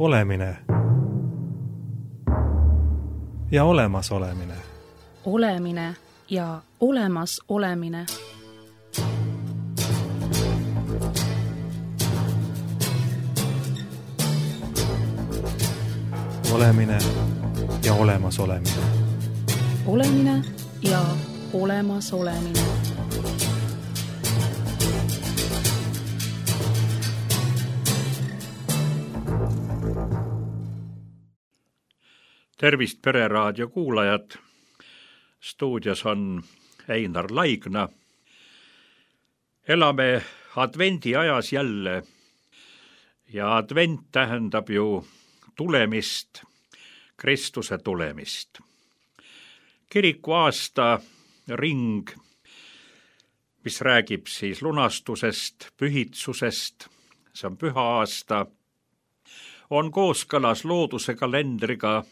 Olemine ja olemasolemine. Olemine ja olemas olemine. Olemine ja olemas olemine. Olemine ja olemas olemine. Tervist Pereraadio kuulajad. Stuudios on Einar Laigna. Elame advendi ajas jälle ja advent tähendab ju tulemist, Kristuse tulemist. Kiriku aasta ring, mis räägib siis lunastusest, pühitsusest, see on püha aasta, on kooskõlas looduse kalendriga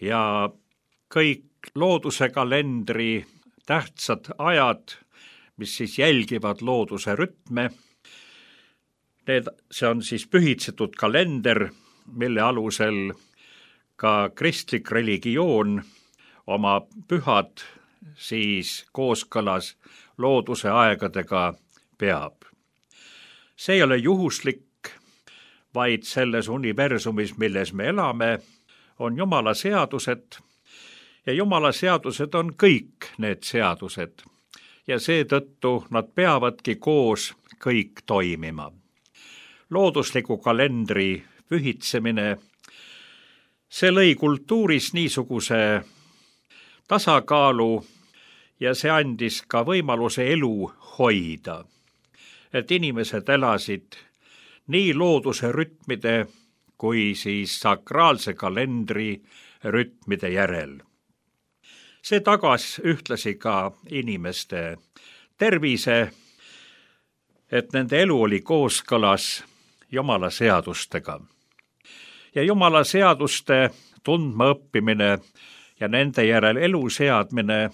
ja kõik looduse kalendri tähtsad ajad, mis siis jälgivad looduse rütme, see on siis pühitsetud kalender, mille alusel ka kristlik religioon oma pühad siis kooskõlas looduse aegadega peab. See ei ole juhuslik, vaid selles universumis, milles me elame, on Jumala seadused ja Jumala seadused on kõik need seadused ja seetõttu nad peavadki koos kõik toimima. Loodusliku kalendri pühitsemine, see lõi kultuuris niisuguse tasakaalu ja see andis ka võimaluse elu hoida, et inimesed elasid nii looduse rütmide kui siis sakraalse kalendri rütmide järel. See tagas ühtlasi ka inimeste tervise, et nende elu oli kooskõlas Jumala seadustega. Ja Jumala seaduste tundma õppimine ja nende järel elu seadmine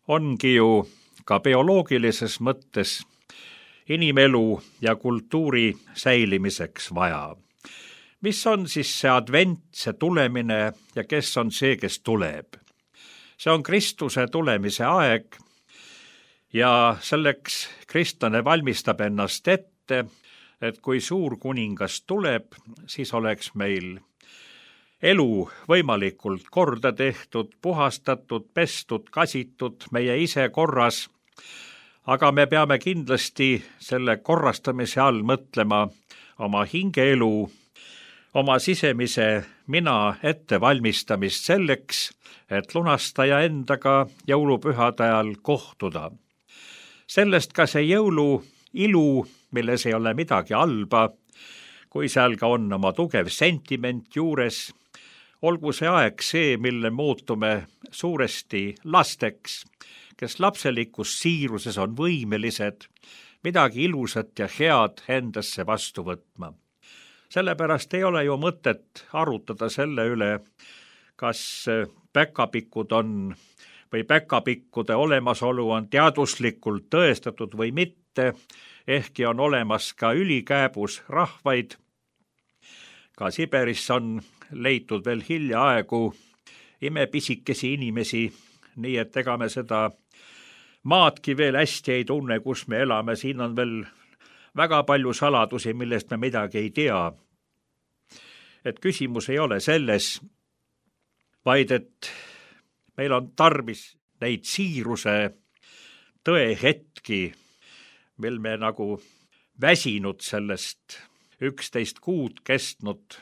ongi ju ka bioloogilises mõttes inimelu ja kultuuri säilimiseks vaja. Mis on siis see advent, see tulemine ja kes on see, kes tuleb? See on Kristuse tulemise aeg ja selleks kristlane valmistab ennast ette, et kui suur kuningas tuleb, siis oleks meil elu võimalikult korda tehtud, puhastatud, pestud, kasitud, meie ise korras, aga me peame kindlasti selle korrastamise all mõtlema oma hingeelu, oma sisemise mina ettevalmistamist selleks, et lunastaja endaga jõulupühade ajal kohtuda. Sellest ka see jõulu ilu, milles ei ole midagi halba, kui seal ka on oma tugev sentiment juures, olgu see aeg see, mille muutume suuresti lasteks, kes lapselikus siiruses on võimelised midagi ilusat ja head endasse vastu võtma. Sellepärast ei ole ju mõtet arutada selle üle, kas päkapikud on või päkapikkude olemasolu on teaduslikult tõestatud või mitte, ehkki on olemas ka ülikääbus rahvaid. Ka Siberis on leitud veel hiljaaegu imepisikesi inimesi, nii et ega me seda maadki veel hästi ei tunne, kus me elame. Siin on veel väga palju saladusi, millest me midagi ei tea. Et küsimus ei ole selles, vaid et meil on tarvis neid siiruse tõehetki, mil me nagu väsinud sellest 11 kuud kestnud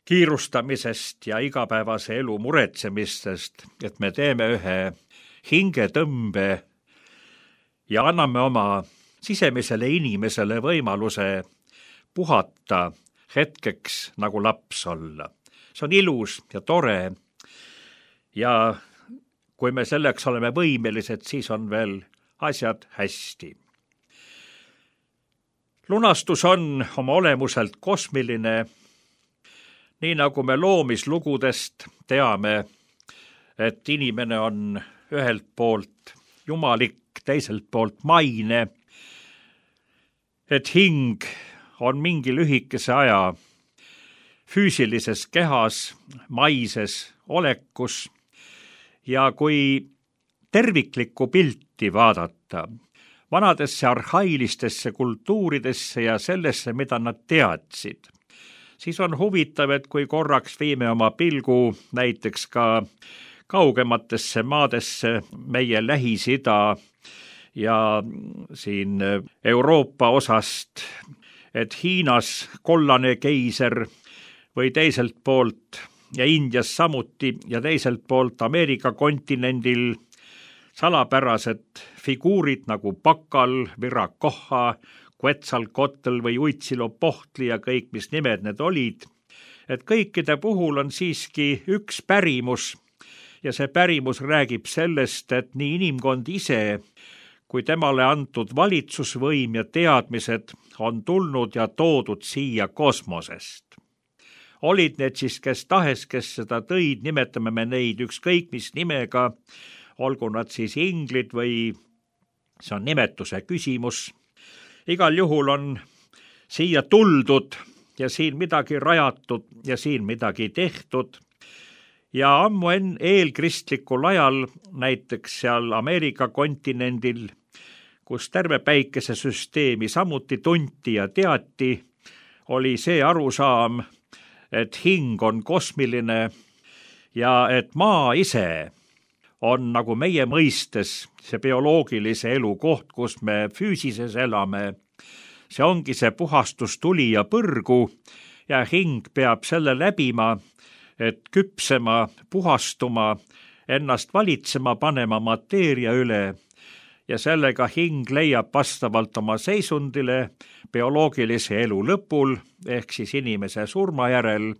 kiirustamisest ja igapäevase elu muretsemistest, et me teeme ühe hingetõmbe ja anname oma sisemisele inimesele võimaluse puhata hetkeks nagu laps olla. See on ilus ja tore ja kui me selleks oleme võimelised, siis on veel asjad hästi. Lunastus on oma olemuselt kosmiline, nii nagu me loomislugudest teame, et inimene on ühelt poolt jumalik, teiselt poolt maine, et hing on mingi lühikese aja füüsilises kehas, maises olekus ja kui terviklikku pilti vaadata vanadesse arhailistesse kultuuridesse ja sellesse, mida nad teadsid, siis on huvitav, et kui korraks viime oma pilgu näiteks ka kaugematesse maadesse, meie Lähis-Ida ja siin Euroopa osast, et Hiinas kollane keiser või teiselt poolt ja Indias samuti ja teiselt poolt Ameerika kontinendil salapärased figuurid nagu Pakal, Viracocha, Quetzalcoatl või Huitzilopochtli ja kõik, mis nimed need olid, et kõikide puhul on siiski üks pärimus ja see pärimus räägib sellest, et nii inimkond ise kui temale antud valitsusvõim ja teadmised on tulnud ja toodud siia kosmosest. Olid need siis kes tahes, kes seda tõid, nimetame me neid ükskõik mis nimega, olgu nad siis inglid või see on nimetuse küsimus. Igal juhul on siia tuldud ja siin midagi rajatud ja siin midagi tehtud. Ja ammu eelkristlikul ajal, näiteks seal Ameerika kontinendil, kus terve päikesesüsteemi samuti tunti ja teati, oli see arusaam, et hing on kosmiline ja et maa ise on nagu meie mõistes see bioloogilise elu koht, kus me füüsises elame. See ongi see puhastustuli ja põrgu ja hing peab selle läbima, et küpsema, puhastuma, ennast valitsema panema mateeria üle ja sellega hing leiab vastavalt oma seisundile bioloogilise elu lõpul ehk siis inimese surma järel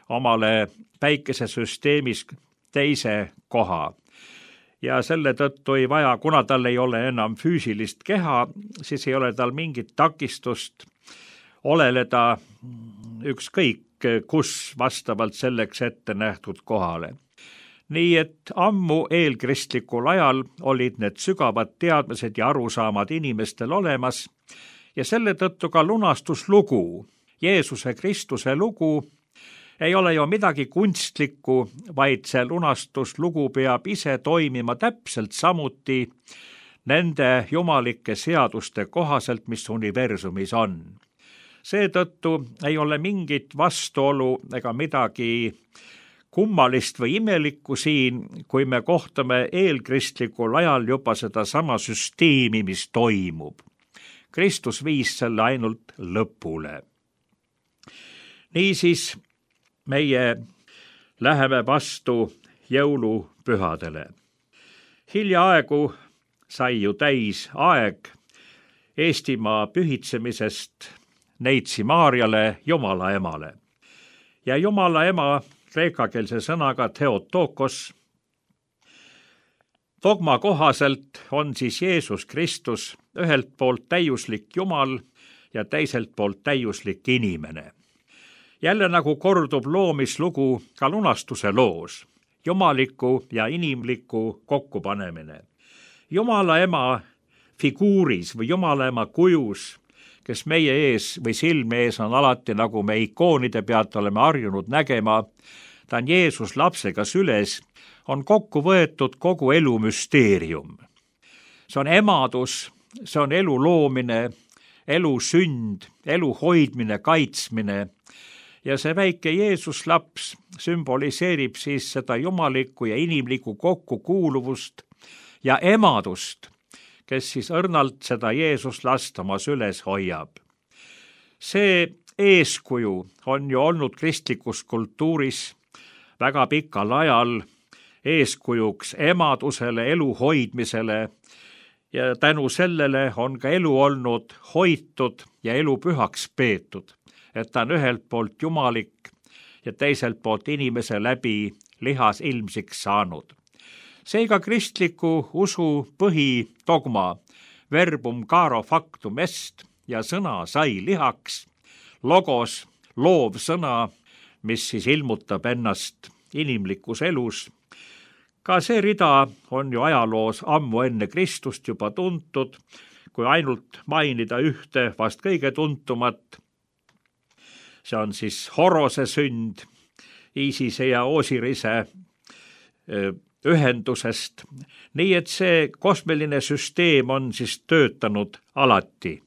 omale päikesesüsteemis teise koha. Ja selle tõttu ei vaja, kuna tal ei ole enam füüsilist keha, siis ei ole tal mingit takistust oleleda ükskõik kus vastavalt selleks ette nähtud kohale. Nii et ammu eelkristlikul ajal olid need sügavad teadmised ja arusaamad inimestel olemas ja selle tõttu ka lunastuslugu, Jeesuse Kristuse lugu, ei ole ju midagi kunstlikku, vaid see lunastuslugu peab ise toimima täpselt samuti nende jumalike seaduste kohaselt, mis universumis on. Seetõttu ei ole mingit vastuolu ega midagi kummalist või imelikku siin, kui me kohtame eelkristlikul ajal juba sedasama süsteemi, mis toimub. Kristus viis selle ainult lõpule. Niisiis meie läheme vastu jõulupühadele. Hiljaaegu sai ju täis aeg Eestimaa pühitsemisest Neitsi Maarjale, Jumala emale. Ja Jumala ema kreekakeelse sõnaga Theotokos. Dogma kohaselt on siis Jeesus Kristus ühelt poolt täiuslik Jumal ja teiselt poolt täiuslik inimene. Jälle nagu kordub loomislugu ka lunastuse loos, jumaliku ja inimliku kokkupanemine. Jumala ema figuuris või Jumala ema kujus, kes meie ees või silme ees on alati, nagu me ikoonide pealt oleme harjunud nägema, ta on Jeesus lapsega süles, on kokku võetud kogu elu müsteerium. See on emadus, see on elu loomine, elu sünd, elu hoidmine, kaitsmine ja see väike Jeesus laps sümboliseerib siis seda jumalikku ja inimlikku kokkukuuluvust ja emadust, kes siis õrnalt seda Jeesus last oma süles hoiab. See eeskuju on ju olnud kristlikus kultuuris väga pikal ajal eeskujuks emadusele, elu hoidmisele ja tänu sellele on ka elu olnud hoitud ja elu pühaks peetud, et ta on ühelt poolt jumalik ja teiselt poolt inimese läbi lihas ilmsiks saanud. Seega kristliku usu põhidogma verbum caro factum est ja sõna sai lihaks, logos, loov sõna, mis siis ilmutab ennast inimlikus elus. Ka see rida on ju ajaloos ammu enne Kristust juba tuntud, kui ainult mainida ühte vast kõige tuntumat. see on siis Horose sünd Iisise ja Osirise ühendusest. Nii et see kosmiline süsteem on siis töötanud alati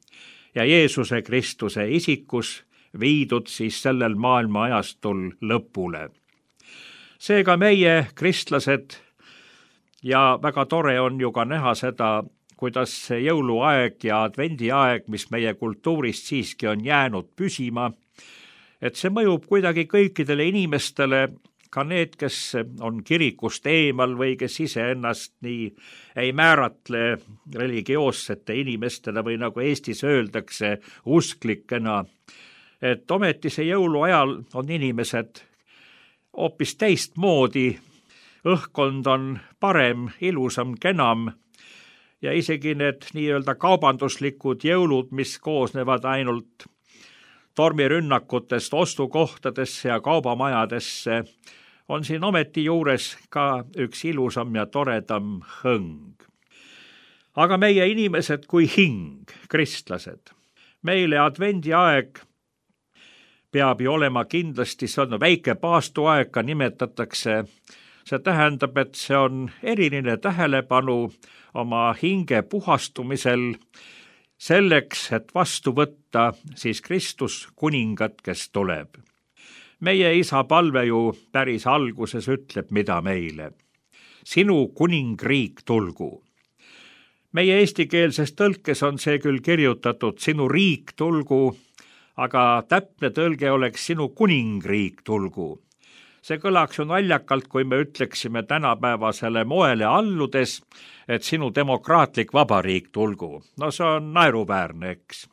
ja Jeesuse Kristuse isikus viidud siis sellel maailma ajastul lõpule. Seega meie kristlased, ja väga tore on ju ka näha seda, kuidas see jõuluaeg ja advendiaeg, mis meie kultuurist siiski on jäänud püsima, et see mõjub kuidagi kõikidele inimestele, ka need, kes on kirikust eemal või kes iseennast nii ei määratle religioossete inimestele või nagu Eestis öeldakse, usklikena. Et ometi see jõuluajal on inimesed hoopis teistmoodi, õhkkond on parem, ilusam, kenam ja isegi need nii-öelda kaubanduslikud jõulud, mis koosnevad ainult tormirünnakutest ostukohtadesse ja kaubamajadesse, on siin ometi juures ka üks ilusam ja toredam hõng. Aga meie inimesed kui hing, kristlased, meile advendiaeg peab ju olema kindlasti, see on väike paastuaeg, ka nimetatakse. See tähendab, et see on eriline tähelepanu oma hinge puhastumisel selleks, et vastu võtta siis Kristus kuningat, kes tuleb. Meie isa palve ju päris alguses ütleb, mida meile. Sinu kuningriik tulgu. Meie eestikeelses tõlkes on see küll kirjutatud sinu riik tulgu, aga täpne tõlge oleks sinu kuningriik tulgu. See kõlaks ju naljakalt, kui me ütleksime tänapäevasele moele alludes, et sinu demokraatlik vabariik tulgu. No see on naeruväärne, eks.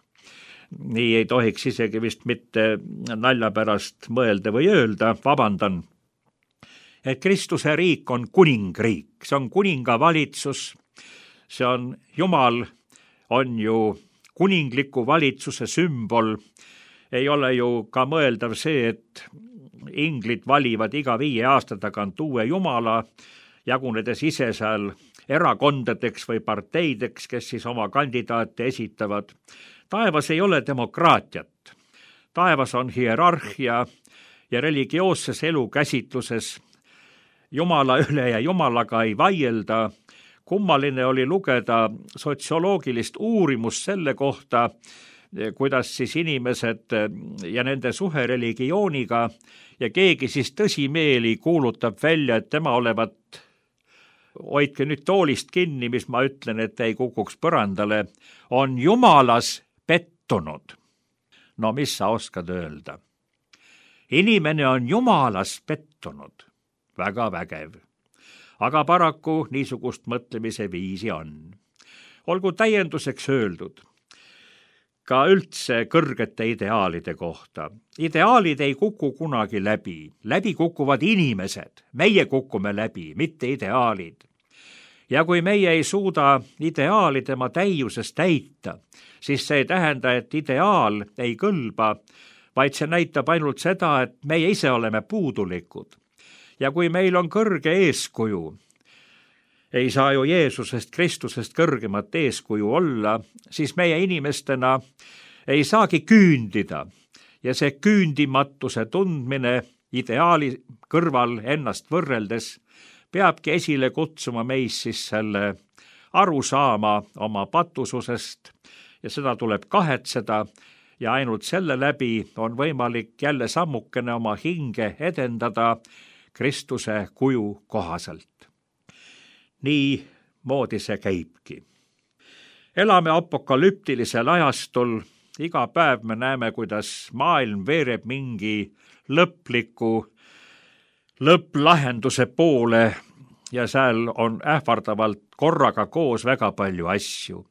Nii ei tohiks isegi vist mitte nalja pärast mõelda või öelda, vabandan. Et Kristuse riik on kuningriik, see on kuningavalitsus, see on Jumal, on ju kuningliku valitsuse sümbol. Ei ole ju ka mõeldav see, et inglid valivad iga 5 aasta tagant uue jumala, jagunedes ise seal erakondadeks või parteideks, kes siis oma kandidaate esitavad. Taevas ei ole demokraatiat. Taevas on hierarhia ja religioosses elukäsitluses Jumala üle ja Jumalaga ei vaielda. Kummaline oli lugeda sotsioloogilist uurimust selle kohta, kuidas siis inimesed ja nende suhe religiooniga ja keegi siis tõsimeeli kuulutab välja, et tema olevat, hoidke nüüd toolist kinni, mis ma ütlen, et ei kukuks põrandale, on Jumalas pettunud. No mis sa oskad öelda? Inimene on Jumalas pettunud. Väga vägev. Aga paraku niisugust mõtlemise viisi on. Olgu täienduseks öeldud ka üldse kõrgete ideaalide kohta. Ideaalid ei kuku kunagi läbi. Läbi kukuvad inimesed. Meie kukume läbi, mitte ideaalid. Ja kui meie ei suuda ideaali tema täiuses täita, siis see ei tähenda, et ideaal ei kõlba, vaid see näitab ainult seda, et meie ise oleme puudulikud. Ja kui meil on kõrge eeskuju, ei saa ju Jeesusest Kristusest kõrgemat eeskuju olla, siis meie inimestena ei saagi küündida ja see küündimatuse tundmine ideaali kõrval ennast võrreldes peabki esile kutsuma meis siis selle arusaama oma patususest ja seda tuleb kahetseda ja ainult selle läbi on võimalik jälle sammukene oma hinge edendada Kristuse kuju kohaselt. Nii moodi see käibki. Elame apokalüptilisel ajastul, iga päev me näeme, kuidas maailm veereb mingi lõpplahenduse poole ja seal on ähvardavalt korraga koos väga palju asju.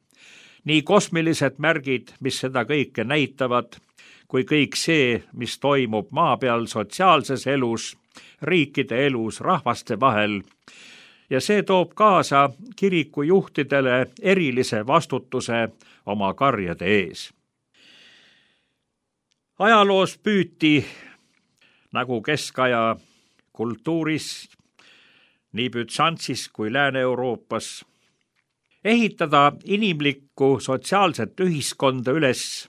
Nii kosmilised märgid, mis seda kõike näitavad, kui kõik see, mis toimub maa peal sotsiaalses elus, riikide elus, rahvaste vahel, ja see toob kaasa kiriku juhtidele erilise vastutuse oma karjade ees. Ajaloos püüti, nagu keskaja kultuuris, nii Bütsantsis kui Lääne-Euroopas, ehitada inimlikku sotsiaalset ühiskonda üles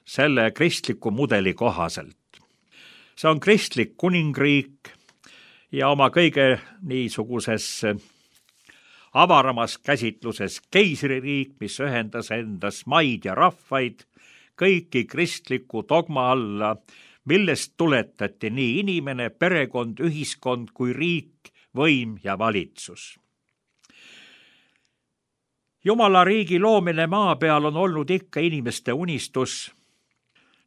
selle kristliku mudeli kohaselt. See on kristlik kuningriik ja oma kõige niisuguses avaramas käsitluses keisririik, mis ühendas endas maid ja rahvaid, kõiki kristliku dogma alla, millest tuletati nii inimene, perekond, ühiskond kui riik, võim ja valitsus. Jumala riigi loomine maa peal on olnud ikka inimeste unistus.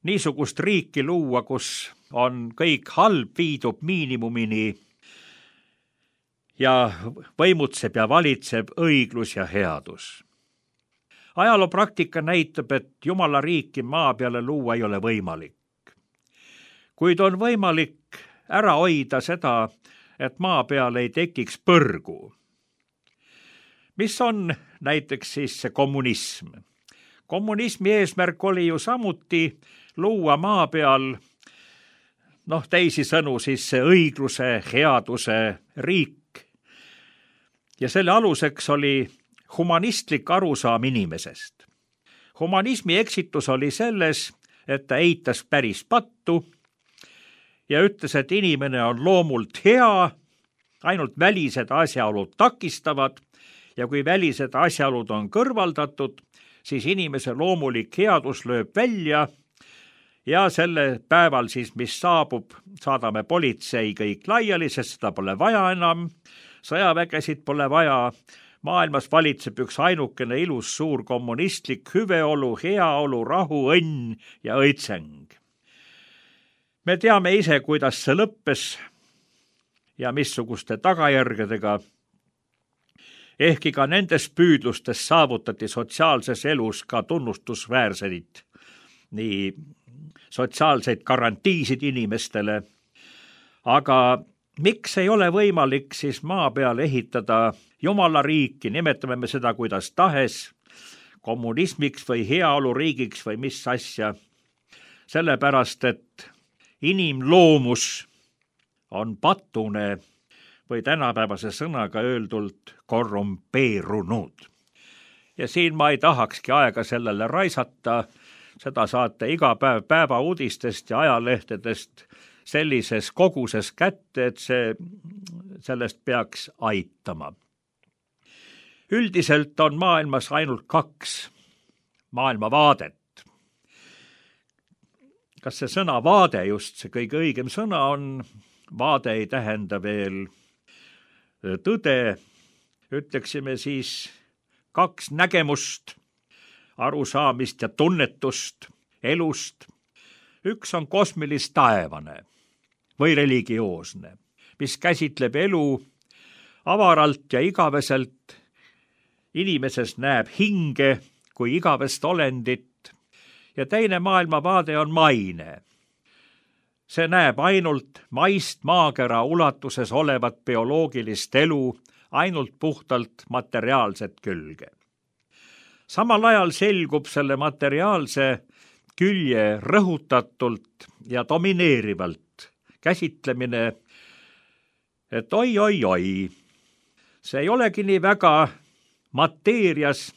Niisugust riiki luua, kus on kõik halb viidub miinimumini ja võimutseb ja valitseb õiglus ja headus. Ajaloopraktika näitab, et Jumala riiki maa peale luua ei ole võimalik. Kuid on võimalik ära hoida seda, et maa peal ei tekiks põrgu. Mis on näiteks siis see kommunism? Kommunismi eesmärk oli ju samuti luua maa peal, teisisõnu siis see õigluse, headuse riik. Ja selle aluseks oli humanistlik arusaam inimesest. Humanismi eksitus oli selles, et ta eitas päris pattu ja ütles, et inimene on loomult hea, ainult välised asjaolud takistavad ja kui välised asjaolud on kõrvaldatud, siis inimese loomulik headus lööb välja ja selle päeval siis, mis saabub, saadame politsei kõik laiali, sest seda pole vaja enam, sõjavägesid pole vaja, maailmas valitseb üks ainukene ilus suur kommunistlik hüveolu, heaolu, rahu, õnn ja õitseng. Me teame ise, kuidas see lõppes ja missuguste tagajärgedega. Ehkki ka nendes püüdlustes saavutati sotsiaalses elus ka tunnustusväärseid, nii sotsiaalseid garantiisid inimestele, aga miks ei ole võimalik siis maa peal ehitada Jumala riiki, nimetame me seda kuidas tahes, kommunismiks või heaoluriigiks või mis asja, sellepärast et inimloomus on patune või tänapäevase sõnaga öeldult korrumpeerunud. Ja siin ma ei tahakski aega sellele raisata, seda saate iga päev päevauudistest ja ajalehtedest sellises koguses kätte, et sellest peaks aitama. Üldiselt on maailmas ainult 2 maailmavaadet. Kas see sõna vaade just see kõige õigem sõna on? Vaade ei tähenda veel tõde, ütleksime siis 2 nägemust, arusaamist ja tunnetust elust. Üks on kosmilis-taevane või religioosne, mis käsitleb elu avaralt ja igaveselt. Inimeses näeb hinge kui igavest olendit ja teine maailmavaade on maine. See näeb ainult maist maakera ulatuses olevat bioloogilist elu, ainult puhtalt materiaalset külge. Samal ajal selgub selle materiaalse külje rõhutatult ja domineerivalt käsitlemine, et oi, see ei olegi nii väga mateerias,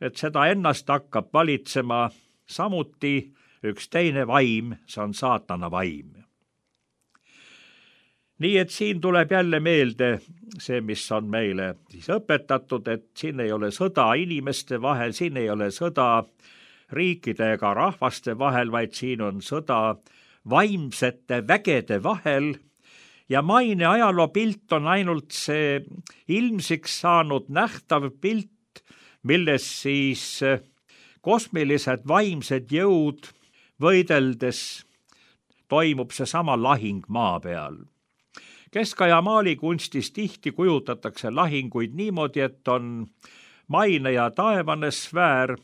et seda ennast hakkab valitsema samuti üks teine vaim, see on saatana vaim. Nii et siin tuleb jälle meelde see, mis on meile siis õpetatud, et siin ei ole sõda inimeste vahel, siin ei ole sõda riikide ega rahvaste vahel, vaid siin on sõda vaimsete vägede vahel ja maine ajaloopilt on ainult see ilmsiks saanud nähtav pilt, milles siis kosmilised vaimsed jõud võideldes toimub seesama lahing maa peal. Keskaja maalikunstis tihti kujutatakse lahinguid niimoodi, et on maine ja taevane sfäär,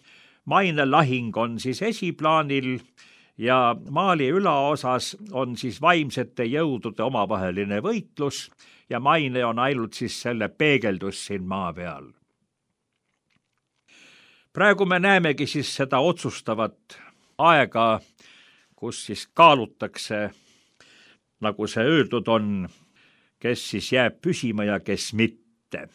maine lahing on siis esiplaanil ja maali ülaosas on siis vaimsete jõudude omavaheline võitlus ja maine on ainult siis selle peegeldus siin maa peal. Praegu me näemegi siis seda otsustavat aega, kus siis kaalutakse, nagu see öeldud on, kes siis jääb püsima ja kes mitte.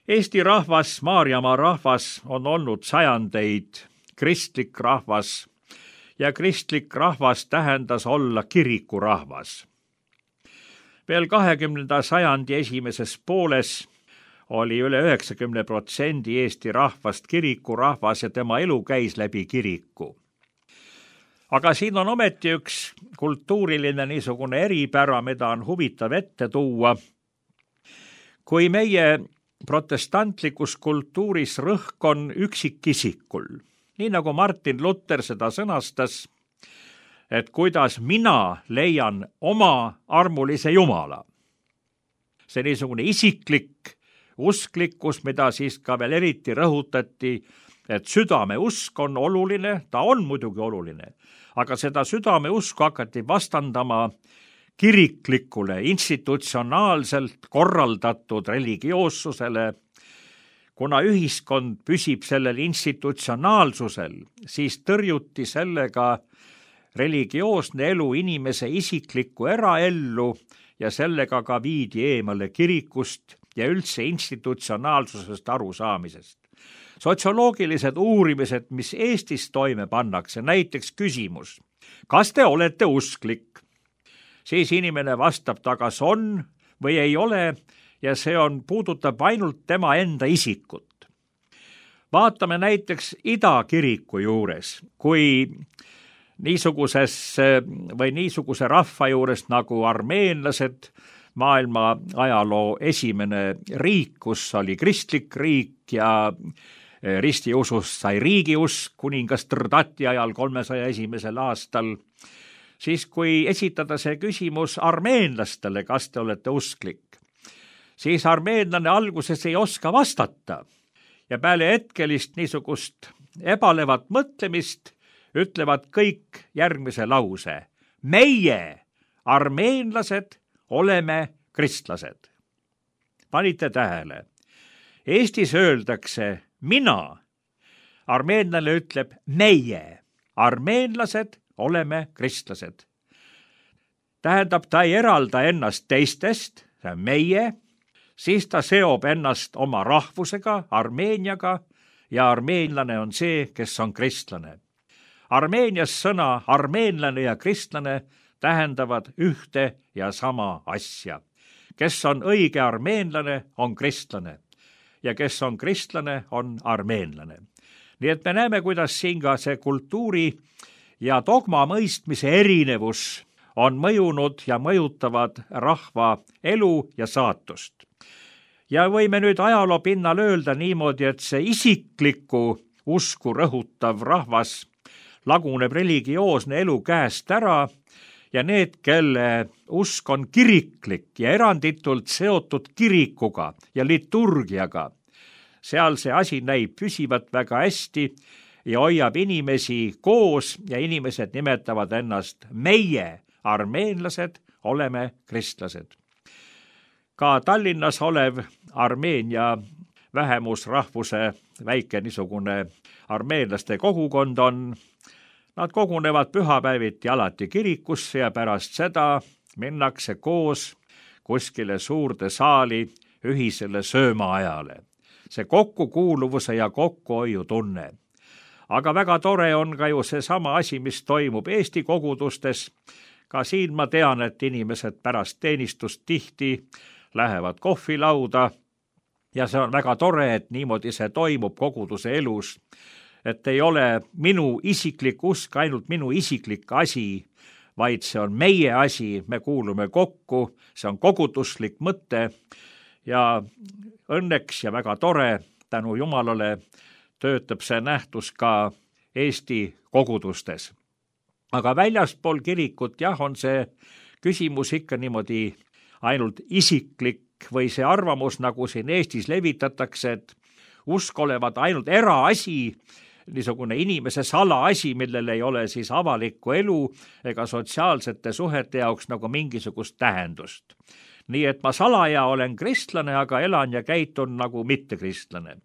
Eesti rahvas, Maarjamaa rahvas on olnud sajandeid kristlik rahvas ja kristlik rahvas tähendas olla kirikurahvas. Veel 20. sajandi esimeses pooles oli üle 90% Eesti rahvast kirikurahvas ja tema elu käis läbi kiriku. Aga siin on ometi üks kultuuriline niisugune eripära, mida on huvitav ette tuua. Kui meie protestantlikus kultuuris rõhk on üksikisikul, nii nagu Martin Luther seda sõnastas, et kuidas mina leian oma armulise Jumala. See niisugune isiklik usklikkus, mida siis ka veel eriti rõhutati, et südame usk on oluline, ta on muidugi oluline, aga seda südame usku hakati vastandama kiriklikule, institutsionaalselt korraldatud religioossusele. Kuna ühiskond püsib sellel institutsionaalsusel, siis tõrjuti sellega religioosne elu inimese isiklikku eraellu ja sellega ka viidi eemale kirikust ja üldse institutsionaalsusest arusaamisest. Sotsioloogilised uurimised, mis Eestis toime pannakse, näiteks küsimus, kas te olete usklik? Siis inimene vastab ta, kas on või ei ole, ja see puudutab ainult tema enda isikut. Vaatame näiteks Ida kiriku juures, kui niisuguse rahva juures nagu armeenlased, maailma ajaloo esimene riik, kus oli kristlik riik ja ristiusust sai riigiusk kuningas Trdati ajal 301. aastal, siis kui esitada see küsimus armeenlastele, kas te olete usklik, siis armeenlane alguses ei oska vastata ja peale hetkelist niisugust ebalevat mõtlemist ütlevad kõik järgmise lause. Meie, armeenlased, oleme kristlased. Panite tähele? Eestis öeldakse mina. Armeenlane ütleb meie. Armeenlased oleme kristlased. Tähendab, ta ei eralda ennast teistest, see on meie, siis ta seob ennast oma rahvusega, Armeeniaga, ja armeenlane on see, kes on kristlane. Armeenias sõna armeenlane ja kristlane tähendavad ühte ja sama asja. Kes on õige armeenlane, on kristlane. Ja kes on kristlane, on armeenlane. Nii et me näeme, kuidas siin ka see kultuuri ja dogma mõistmise erinevus on mõjunud ja mõjutavad rahva elu ja saatust. Ja võime nüüd ajaloo pinnal öelda niimoodi, et see isikliku usku rõhutav rahvas laguneb religioosne elu käest ära ja need, kelle usk on kiriklik ja eranditult seotud kirikuga ja liturgiaga, seal see asi näib püsivat väga hästi ja hoiab inimesi koos ja inimesed nimetavad ennast meie, armeenlased, oleme kristlased. Ka Tallinnas olev Armeenia vähemusrahvuse väike niisugune armeenlaste kogukond on. Nad kogunevad pühapäeviti alati kirikusse ja pärast seda minnakse koos kuskile suurde saali ühisele söömaajale. See kokkukuuluvuse ja kokkuhoiu tunne. Aga väga tore on ka ju seesama asi, mis toimub Eesti kogudustes. Ka siin ma tean, et inimesed pärast teenistust tihti lähevad kohvilauda ja see on väga tore, et niimoodi see toimub koguduse elus. Et ei ole minu isiklik usk ainult minu isiklik asi, vaid see on meie asi, me kuulume kokku, see on koguduslik mõte ja õnneks ja väga tore, tänu Jumalale, töötab see nähtus ka Eesti kogudustes. Aga väljaspool kirikut, jah, on see küsimus ikka niimoodi ainult isiklik või see arvamus, nagu siin Eestis levitatakse, et usk olevat ainult eraasi, niisugune inimese salaasi, millel ei ole siis avalikku elu ega sotsiaalsete suhete jaoks nagu mingisugust tähendust. Nii et ma salaja olen kristlane, aga elan ja käitun nagu mittekristlane.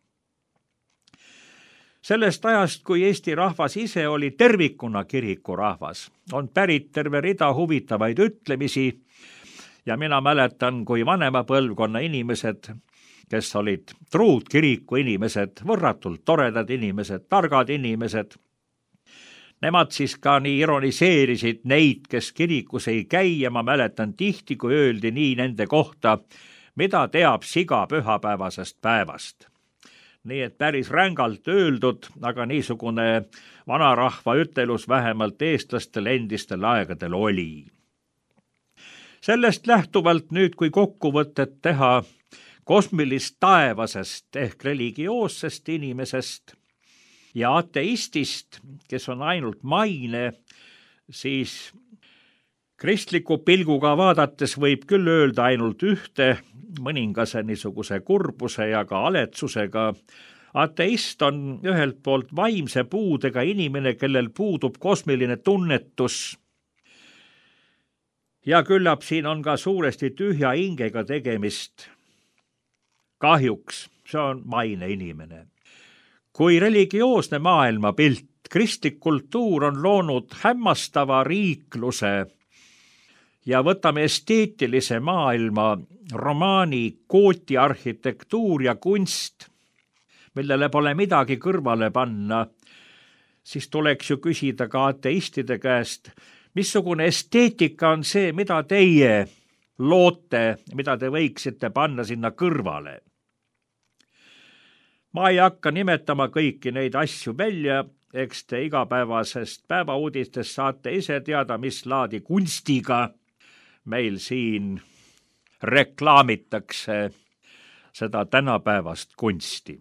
Sellest ajast, kui Eesti rahvas ise oli tervikuna kirikurahvas, on pärit terve rida huvitavaid ütlemisi ja mina mäletan, kui vanema põlvkonna inimesed, kes olid truud kiriku inimesed, võrratult toredad inimesed, targad inimesed, Nemad siis ka nii ironiseerisid neid, kes kirikus ei käi, ja ma mäletan tihti, kui öeldi nii nende kohta, mida teab siga pühapäevasest päevast. Nii et päris rängalt öeldud, aga niisugune vanarahva ütelus vähemalt eestlastel endistel aegadel oli. Sellest lähtuvalt nüüd, kui kokkuvõtet teha kosmilist taevasest ehk religioossest inimesest ja ateistist, kes on ainult maine, siis kristliku pilguga vaadates võib küll öelda ainult ühte, mõningase niisuguse kurbuse ja ka aletsusega. Ateist on ühelt poolt vaimse puudega inimene, kellel puudub kosmiline tunnetus. Ja küllap siin on ka suuresti tühja hingega tegemist. Kahjuks see on maine inimene. Kui religioosne maailmapilt, kristlik kultuur on loonud hämmastava riikluse ja võtame esteetilise maailma, romaani, kooti arhitektuur ja kunst, millele pole midagi kõrvale panna, siis tuleks ju küsida ka ateistide käest, missugune esteetika on see, mida teie loote, mida te võiksite panna sinna kõrvale. Ma ei hakka nimetama kõiki neid asju välja, eks te igapäevasest päevauudistest saate ise teada, mis laadi kunstiga meil siin reklaamitakse seda tänapäevast kunsti.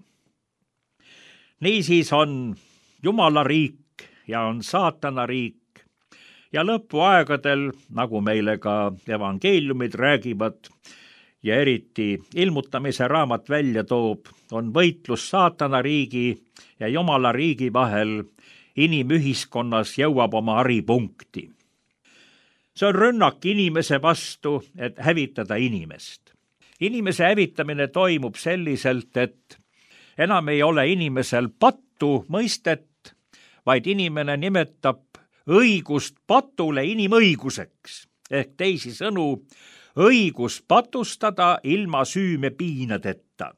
Niisiis on Jumala riik ja on saatana riik ja lõpuaegadel, nagu meile ka evangeeliumid räägivad ja eriti ilmutamise raamat välja toob, on võitlus saatana riigi ja Jumala riigi vahel inimühiskonnas jõuab oma haripunkti. See on rünnak inimese vastu, et hävitada inimest. Inimese hävitamine toimub selliselt, et enam ei ole inimesel pattu mõistet, vaid inimene nimetab õigust patule inimõiguseks, ehk teisisõnu õigus patustada ilma süüme piinadeta.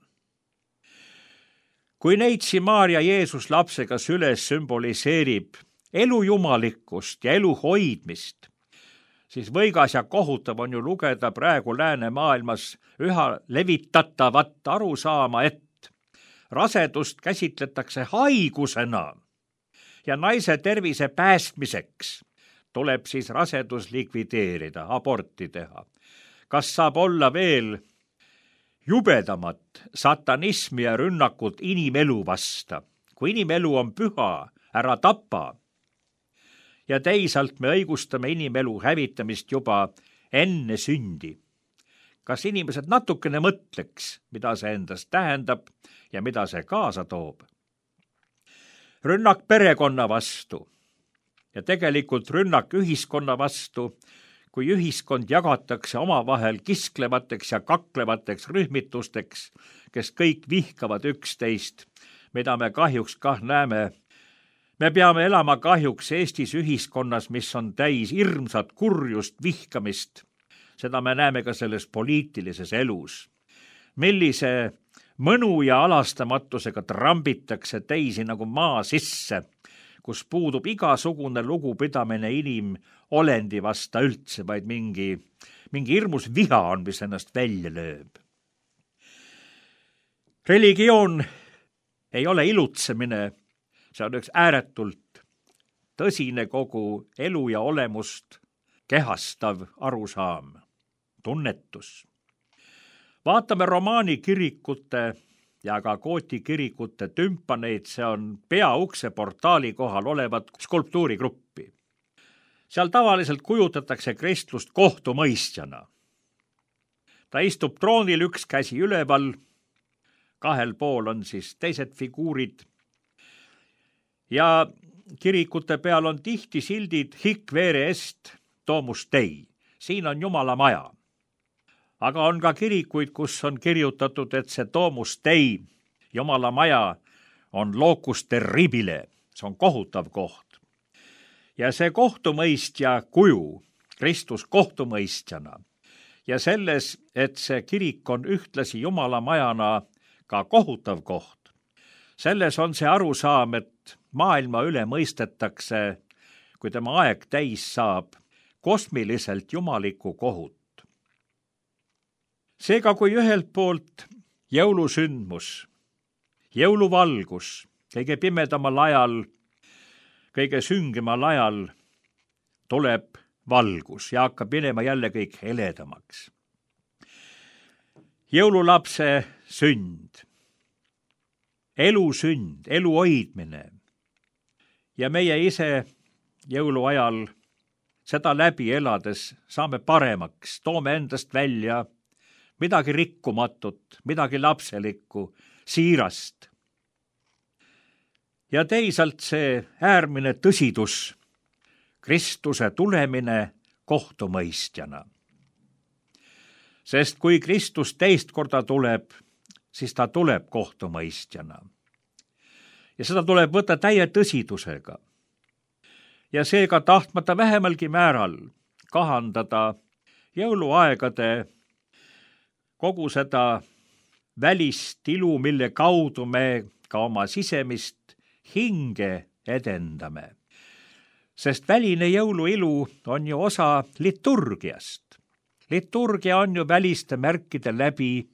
Kui neitsi Maarja Jeesus lapsega süles sümboliseerib elu jumalikkust ja elu hoidmist, siis võigas ja kohutav on ju lugeda praegu läänemaailmas üha levitatavat arusaama, et rasedust käsitletakse haigusena ja naise tervise päästmiseks tuleb siis rasedus likvideerida, aborti teha. Kas saab olla veel jubedamat satanismi ja rünnakut inimelu vasta? Kui inimelu on püha, ära tapa. Ja teisalt me õigustame inimelu hävitamist juba enne sündi. Kas inimesed natukene mõtleks, mida see endast tähendab ja mida see kaasa toob? Rünnak perekonna vastu ja tegelikult rünnak ühiskonna vastu, kui ühiskond jagatakse omavahel kisklevateks ja kaklevateks rühmitusteks, kes kõik vihkavad üksteist, mida me kahjuks kah näeme. Me peame elama kahjuks Eestis ühiskonnas, mis on täis hirmsat kurjust, vihkamist. Seda me näeme ka selles poliitilises elus. Millise mõnu ja alastamatusega trambitakse teisi nagu maa sisse, kus puudub igasugune lugupidamine inimolendi vasta üldse, vaid mingi hirmus viha on, mis ennast välja lööb. Religioon ei ole ilutsemine, see on üks ääretult tõsine kogu elu ja olemust kehastav arusaam, tunnetus. Vaatame romaani kirikute ja ka kooti kirikute tümpaneid, see on peaukse portaali kohal olevat skulptuurigruppi. Seal tavaliselt kujutatakse kristlust kohtumõistjana. Ta istub troonil, üks käsi üleval, kahel pool on siis teised figuurid ja kirikute peal on tihti sildid hic vere est domus Dei. Siin on Jumala maja. Aga on ka kirikuid, kus on kirjutatud, et see domus Dei, Jumala maja, on locus terribile, see on kohutav koht. Ja see kohtumõistja kuju, Kristus kohtumõistjana, ja selles, et see kirik on ühtlasi Jumala majana ka kohutav koht. Selles on see arusaam, et maailma üle mõistetakse kui tema aeg täis saab, kosmiliselt jumalikku kohut. Seega, kui ühelt poolt jõulusündmus, jõuluvalgus kõige pimedamal ajal, kõige süngemal ajal tuleb valgus ja hakkab minema jälle kõik heledamaks. Jõululapse sünd, elu sünd, elu hoidmine ja meie ise jõuluajal seda läbi elades saame paremaks, toome endast välja midagi rikkumatut, midagi lapselikku, siirast. Ja teisalt see äärmine tõsidus, Kristuse tulemine kohtumõistjana. Sest kui Kristus teist korda tuleb, siis ta tuleb kohtumõistjana. Ja seda tuleb võtta täie tõsidusega. Ja seega tahtmata vähemalgi määral kahandada jõuluaegade kogu seda välist ilu, mille kaudu me ka oma sisemist hinge edendame. Sest väline jõuluilu on ju osa liturgiast. Liturgia on ju väliste märkide läbi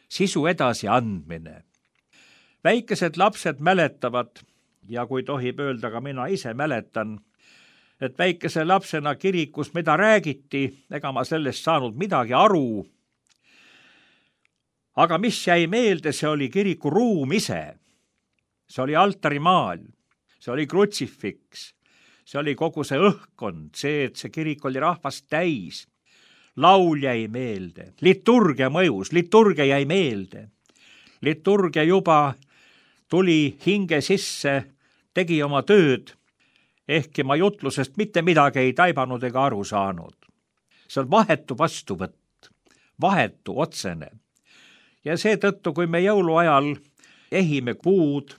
sisu edasiandmine. Väikesed lapsed mäletavad, ja kui tohib öelda, ka mina ise mäletan, et väikese lapsena kirikus mida räägiti, ega ma sellest saanud midagi aru. Aga mis jäi meelde, see oli kiriku ruum ise. See oli altarimaal, see oli krutsifiks, see oli kogu see õhkkond, see, et see kirik oli rahvast täis. Laul jäi meelde, liturgia mõjus, liturgia jäi meelde. Liturgia juba tuli hinge sisse, tegi oma tööd, ehkki ma jutlusest mitte midagi ei taibanud ega aru saanud. See on vahetu vastuvõtt, vahetu, otsene. Ja seetõttu, kui me jõuluajal ehime puud,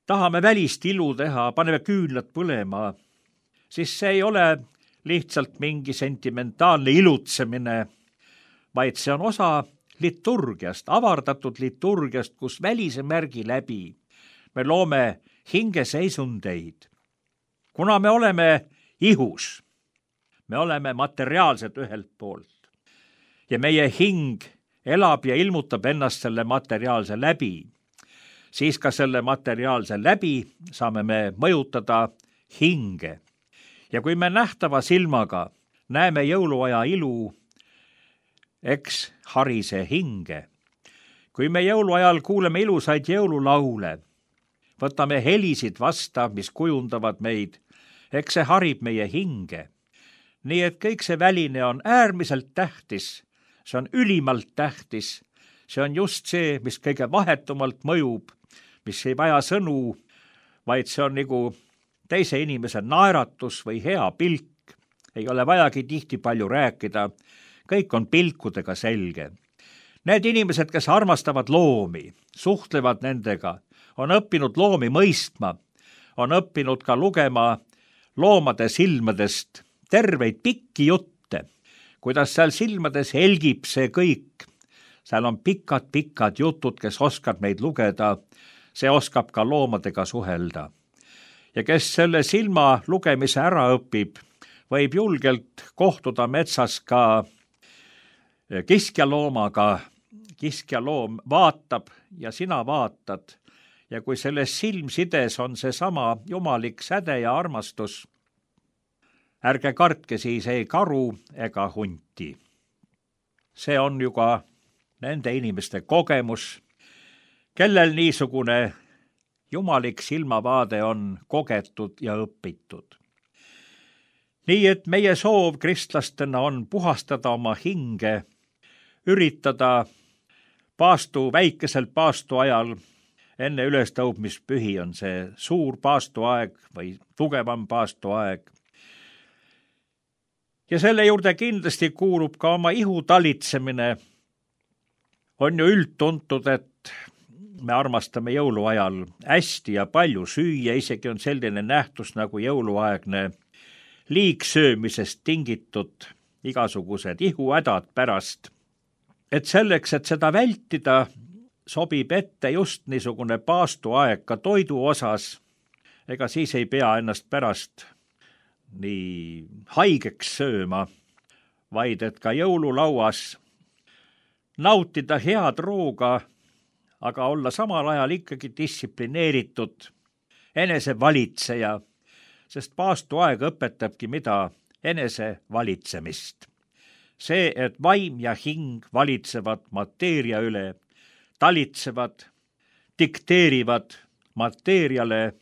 tahame välist ilu teha, paneme küünlad põlema, siis see ei ole lihtsalt mingi sentimentaalne ilutsemine, vaid see on osa liturgiast, avardatud liturgiast, kus välise märgi läbi me loome hingeseisundeid. Kuna me oleme ihus, me oleme materiaalsed ühelt poolt ja meie hing elab ja ilmutab ennast selle materiaalse läbi, siis ka selle materiaalse läbi saame me mõjutada hinge. Ja kui me nähtava silmaga näeme jõuluaja ilu, eks harise hinge. Kui me jõuluajal kuuleme ilusaid jõululaule, võtame helisid vasta, mis kujundavad meid, eks see harib meie hinge. Nii et kõik see väline on äärmiselt tähtis, see on ülimalt tähtis, see on just see, mis kõige vahetumalt mõjub, mis ei vaja sõnu, vaid see on nagu teise inimese naeratus või hea pilk. Ei ole vajagi tihti palju rääkida, kõik on pilkudega selge. Need inimesed, kes armastavad loomi, suhtlevad nendega, on õppinud loomi mõistma, on õppinud ka lugema loomade silmadest terveid pikki jutte, kuidas seal silmades helgib see kõik. Seal on pikad jutud, kes oskab neid lugeda, see oskab ka loomadega suhelda. Ja kes selle silma lugemise ära õpib, võib julgelt kohtuda metsas ka kiskjaloomaga. Kiskjaloom vaatab ja sina vaatad. Ja kui selles silmsides on seesama jumalik säde ja armastus, ärge kartke siis ei karu ega hunti. See on ju ka nende inimeste kogemus, kellel niisugune jumalik silmavaade on kogetud ja õpitud. Nii et meie soov kristlastena on puhastada oma hinge, üritada väikesel paastu ajal, enne ülestõudmispühi on see suur paastuaeg või tugevam paastuaeg. Ja selle juurde kindlasti kuulub ka oma ihu talitsemine. On ju üldtuntud, et me armastame jõuluajal hästi ja palju süüa, isegi on selline nähtus nagu jõuluaegne liigsöömisest tingitud igasugused ihuhädad pärast. Et selleks, et seda vältida, sobib ette just niisugune paastuaeg ka toidu osas, ega siis ei pea ennast pärast nii haigeks sööma, vaid et ka jõululauas nautida head rooga, aga olla samal ajal ikkagi distsiplineeritud enesevalitseja, sest paastuaeg õpetabki mida enesevalitsemist. See, et vaim ja hing valitsevad mateeria üle, talitsevad, dikteerivad mateeriale,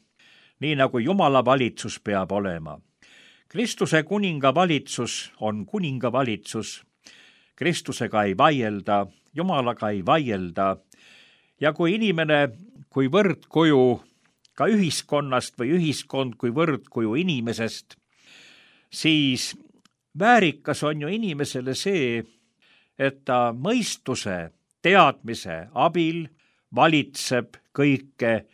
nii nagu Jumala valitsus peab olema. Kristuse kuninga valitsus on kuninga valitsus. Kristusega ei vaielda, Jumalaga ei vaielda. Ja kui inimene kui võrdkuju ka ühiskonnast või ühiskond kui võrdkuju inimesest, siis väärikas on ju inimesele see, et ta mõistuse, teadmise abil valitseb kõike,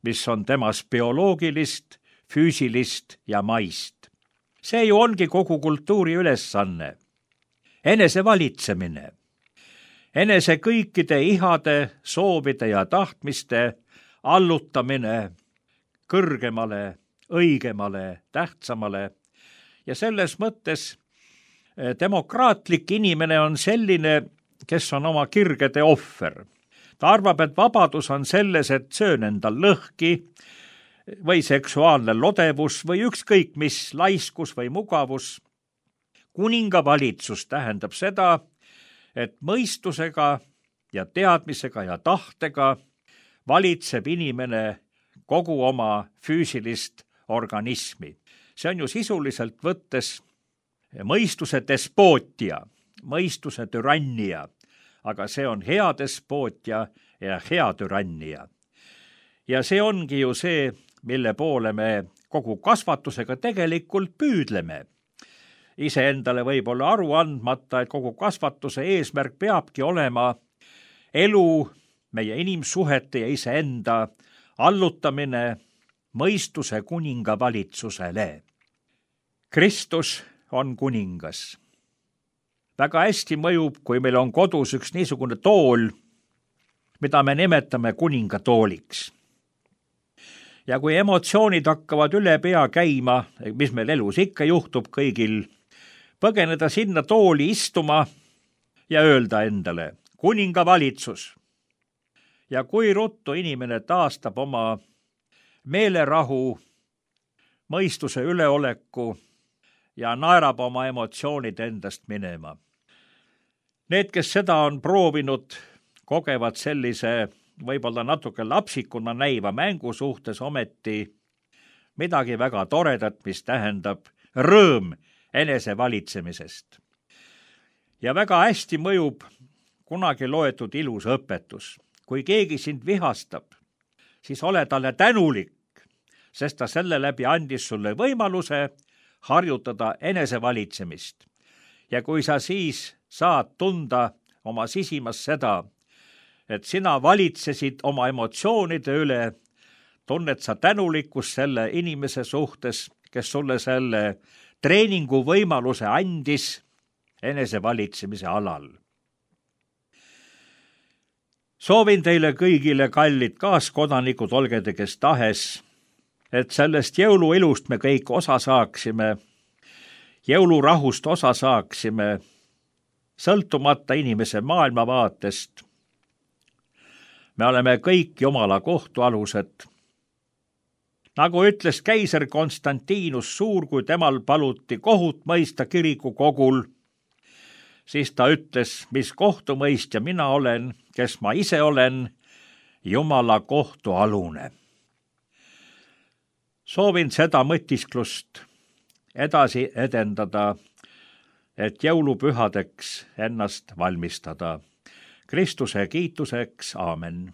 mis on temas bioloogilist, füüsilist ja maist. See ju ongi kogu kultuuri ülesanne. Enesevalitsemine. Enese kõikide ihade, soovide ja tahtmiste allutamine kõrgemale, õigemale, tähtsamale. Ja selles mõttes demokraatlik inimene on selline, kes on oma kirgede ohver. Ta arvab, et vabadus on selles, et söön endal lõhki või seksuaalne lodevus või ükskõik mis laiskus või mugavus. Kuninga valitsus tähendab seda, et mõistusega ja teadmisega ja tahtega valitseb inimene kogu oma füüsilist organismi. See on ju sisuliselt võttes mõistuse despootia, mõistuse türannia, aga see on hea despootia ja hea türannia. Ja see ongi ju see, mille poole me kogu kasvatusega tegelikult püüdleme. Iseendale võib olla aru andmata, et kogu kasvatuse eesmärk peabki olema elu, meie inimsuhete ja iseenda allutamine mõistuse kuninga valitsusele. Kristus on kuningas. Väga hästi mõjub, kui meil on kodus üks niisugune tool, mida me nimetame kuningatooliks. Ja kui emotsioonid hakkavad üle pea käima, mis meil elus ikka juhtub kõigil, põgeneda sinna tooli istuma ja öelda endale, kuninga valitsus. Ja kui ruttu inimene taastab oma meelerahu, mõistuse üleoleku ja naerab oma emotsioonid endast minema. Need, kes seda on proovinud, kogevad sellise võib-olla natuke lapsikuna näiva mängu suhtes ometi midagi väga toredat, mis tähendab rõõm enesevalitsemisest. Ja väga hästi mõjub kunagi loetud ilus õpetus. Kui keegi sind vihastab, siis ole talle tänulik, sest ta selle läbi andis sulle võimaluse harjutada enesevalitsemist. Ja kui sa siis saad tunda oma sisimas seda, et sina valitsesid oma emotsioonide üle, tunned sa tänulikkust selle inimese suhtes, kes sulle selle treeningu võimaluse andis enesevalitsemise alal. Soovin teile kõigile, kallid kaaskodanikud, olge te kes tahes, et sellest jõuluilust me kõik osa saaksime, jõulurahust osa saaksime, sõltumata inimese maailmavaatest. Me oleme kõik Jumala kohtualused. Nagu ütles keiser Konstantinus Suur, kui temal paluti kohut mõista kirikukogul, siis ta ütles, mis kohtumõistja mina olen, kes ma ise olen, Jumala kohtualune. Soovin seda mõtisklust edasi edendada, et jõulupühadeks ennast valmistada. Kristuse kiituseks, aamen.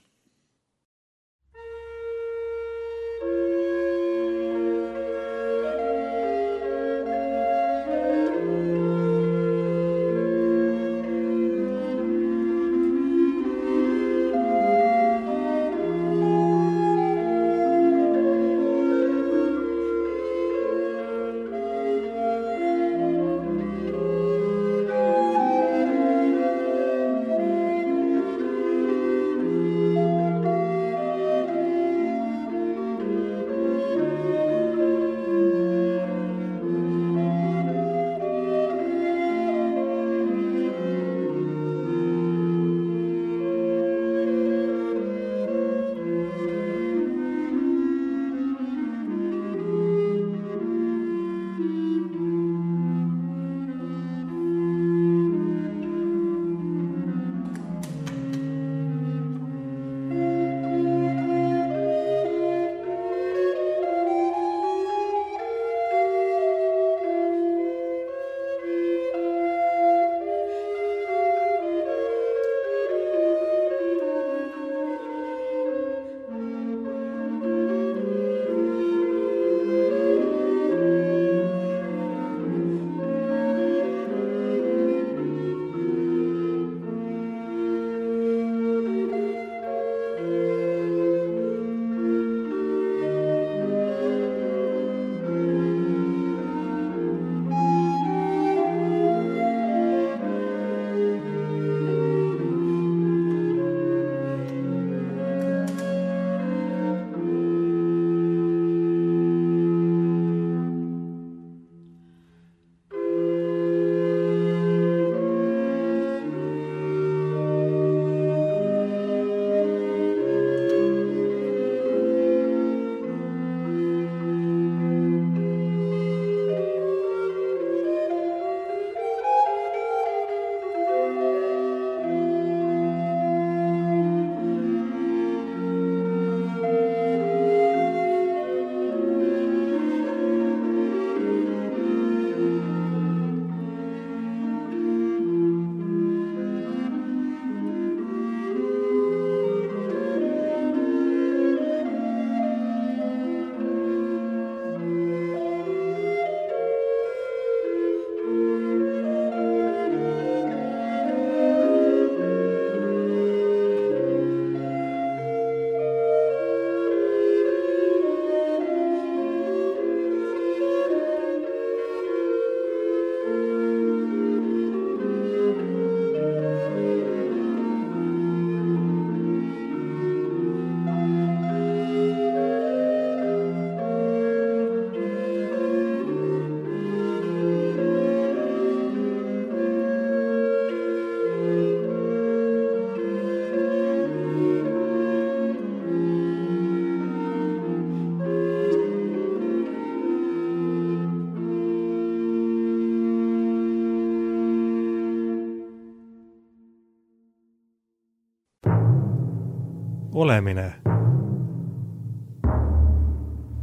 olemine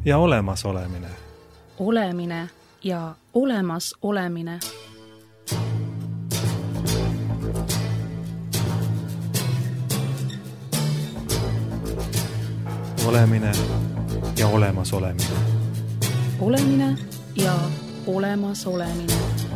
ja olemasolemine. Olemine ja olemasolemine. Olemine ja olemasolemine. Olemine ja olemasolemine.